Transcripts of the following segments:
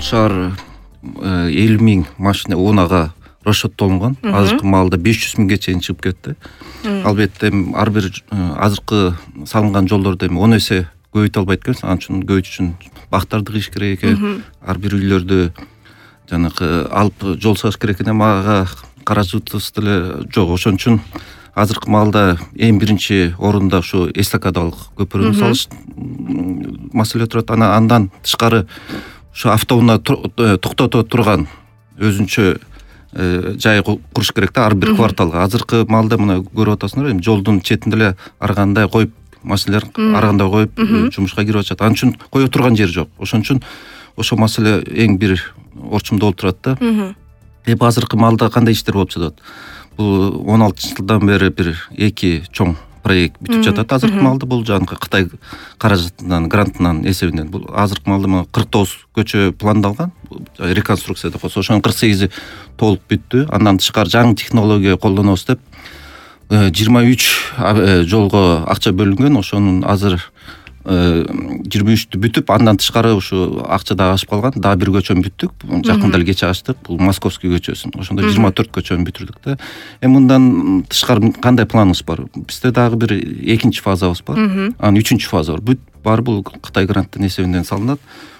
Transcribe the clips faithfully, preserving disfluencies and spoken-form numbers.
шаар элүү миң машина унаага расчеттолунган. Азыркы маалда беш жүз миңге чейин чыгып кетти. Албетте ар бир азыркы салынган жолдорду эми он эсе көбөйтө албайт экенбиз. Анын үчүн көбөйтүш үчүн бактарды кыйыш керек экен. Ар бир үйлөрдү жанагы алып жол салыш керек экен. Ага каражатыбыз деле жок. Ошон үчүн азыркы маалда эң биринчи орунда ушу эстакадалык көпүрөнү салыш маселе турат. Анан андан тышкары ушу автоунаа токтото турган өзүнчө жай куруш керек да ар бир кварталга. Азыркы маалда мына көрүп атасыңар, эми жолдун четинде эле ар кандай коюп машиналар ар кандай коюп жумушка кирип атышат. Анын үчүн кое турган жери жок. Ошон үчүн ошол маселе эң бир орчумда болуп турат да. Эми азыркы маалда кандай иштер болуп жатат? Бул он алтынчы жылдан бери бир эки чоң проект бүтүп жатат. Азыркы маалда бул жанагы Кытай каражатынан, грантынан эсебинен. Бул азыркы маалда кырк тогуз көчө пландалган, реконструкция деп коесуз. Ошонун кырк сегизи толук бүттү. Андан тышкары жаңы технология колдонобуз деп жыйырма үч жолго акча бөлүнгөн. Ошонун азыр жыйырма үчтү бүтүп, андан тышкары ушу акча дагы ашып калган. Дагы бир көчөнү бүттүк. Жакында эле кечээ ачтык. Бул Московский көчөсүн. Ошондо жыйырма төрт көчөнү бүтүрдүк да. Эми мындан тышкары кандай планыбыз бар? Бизде дагы бир экинчи фазабыз бар. Анан үчүнчү фаза бар. Бүт баары бул Кытай гранттын эсебинен салынат.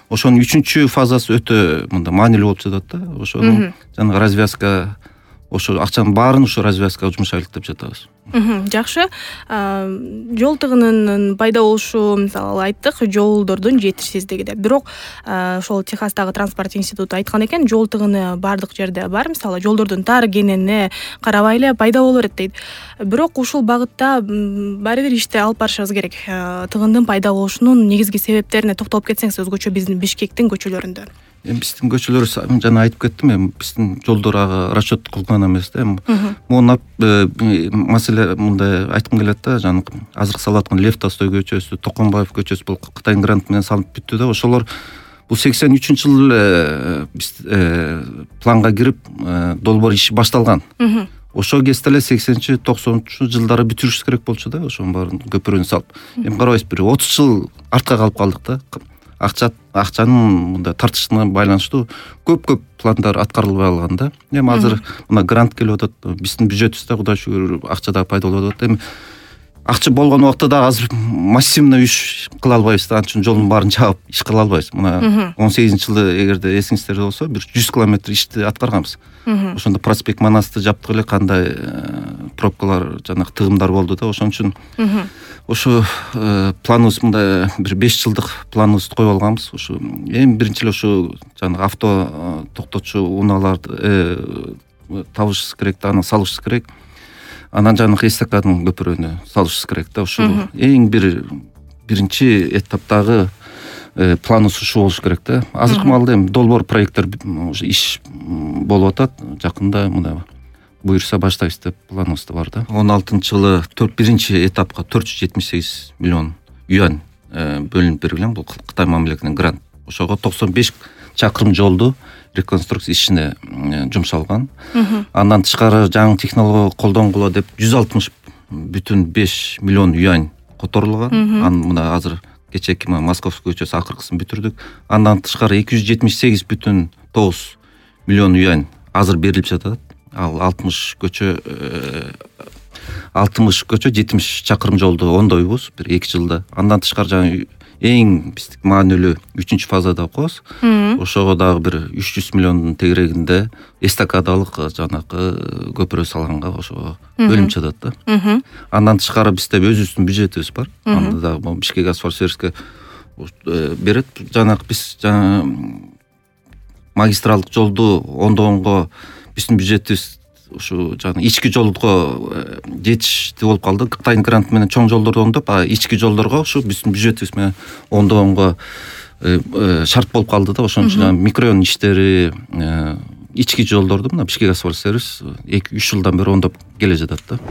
Ошонун үчүнчү фазасы өтө мында маанилүү болуп жатат да. Ошонун жанагы развязка, ошо акчанын баарын ошо развязкага жумшайлык деп жатабыз. Жакшы. Жол тыгынынын пайда болушу, мисалы айттык, жолдордун жетишсиздиги деп. Бирок ошол Техастагы транспорт институту айткан экен, жол тыгыны бардык жерде бар. Мисалы жолдордун тар экенине карабай эле пайда боло берет дейт. Бирок ушул багытта баары бир ишти алып барышыбыз керек. Тыгындын пайда болушунун негизги себептерине токтолуп кетсеңиз, өзгөчө биздин Бишкектин көчөлөрүндө. Эми биздин көчөлөр жана айтып кеттим, эми биздин жолдор ага расчет кылган эмес да. Могу маселе мындай айткым келет да, жана азыр салып аткан Лев Толстой көчөсү, Токонбаев көчөсү бул Кытайдын гранты менен салынып бүттү да. Ошолор бул сексен үчүнчү жылы эле биз планга кирип, долбоор иши башталган. Ошол кезде эле сексенинчи токсонунчу жылдары бүтүрүшүбүз керек болчу да, ошонун баарын көпүрөнү салып. Эми карабайсыз, бир отуз жыл артка калып калдык да. Акча акчанын мындай тартышына байланыштуу көп-көп пландар аткарылбай калган да. Эми азыр мына грант келип атат. Биздин бюджетибизде Кудай шүгүр акча да пайда болуп атат. Эми акча болгон убакта да азыр массивный иш кыла албайбыз да. Анын үчүн жолдун баарын жаап иш кыла албайбыз. Мына он сегизинчи жылы эгерде эсиңиздерде болсо, бир жүз километр ишти аткарганбыз. Ошондо Проспект Манасты жаптык эле, кандай пробкалар, жанагы тыгымдар болду да. Ошон үчүн ошо планыбыз мындай бир беш жылдык планыбызды коюп алганбыз. Ошо эми биринчи эле ошо жанагы авто токтотчу унааларды табышыбыз керек да, аны салышыбыз керек. Анан жанагы эстакадын көпүрөнү салышыбыз керек да. Ошо эң бир биринчи этаптагы планыбыз ушул болуш керек да. Азыркы маалда эми долбоор проекттер иш болуп атат. Жакында мына буюрса баштайбыз деп планыбызда бар да. он алтынчы жылы биринчи этапка төрт жүз жетимиш сегиз миллион юань бөлүнүп берилген. Бул Кытай мамлекетинин грант. Ошого токсон беш чакырым жолду реконструкция ишине жумшалган. Андан тышкары жаңы технология колдонгула деп жүз алтымыш бүтүн беш миллион юань которулган. Анын мына азыр кечээки Московский көчөсү акыркысын бүтүрдүк. Андан тышкары эки жүз жетимиш сегиз бүтүн тогуз миллион юань азыр берилип жатат. Ал алтымыш көчө алтымыш көчө жетимиш чакырым жолду оңдойбуз бир эки жылда. Андан тышкары жаңы эң биздик маанилүү үчүнчү фазада коебуз. Ошого дагы бир үч жүз миллиондун тегерегинде эстакадалык жанагы көпүрө салганга ошого бөлүнүп жатат да. Андан тышкары бизде өзүбүздүн бюджетибиз бар. Анда дагы Бишкек асфальт сервиске берет. Жанагы биз жана магистралдык жолду оңдогонго биздин бюджетибиз ушу жана ички жолго жетиштүү болуп калды. Кытайдын гранты менен чоң жолдорду оңдоп, а ички жолдорго ушу биздин бюджетибиз менен оңдогонго шарт болуп калды да. Ошон үчүн микрорайон иштери, ички жолдорду мына Бишкек асфальт сервис эки үч жылдан бери оңдоп келе жатат да.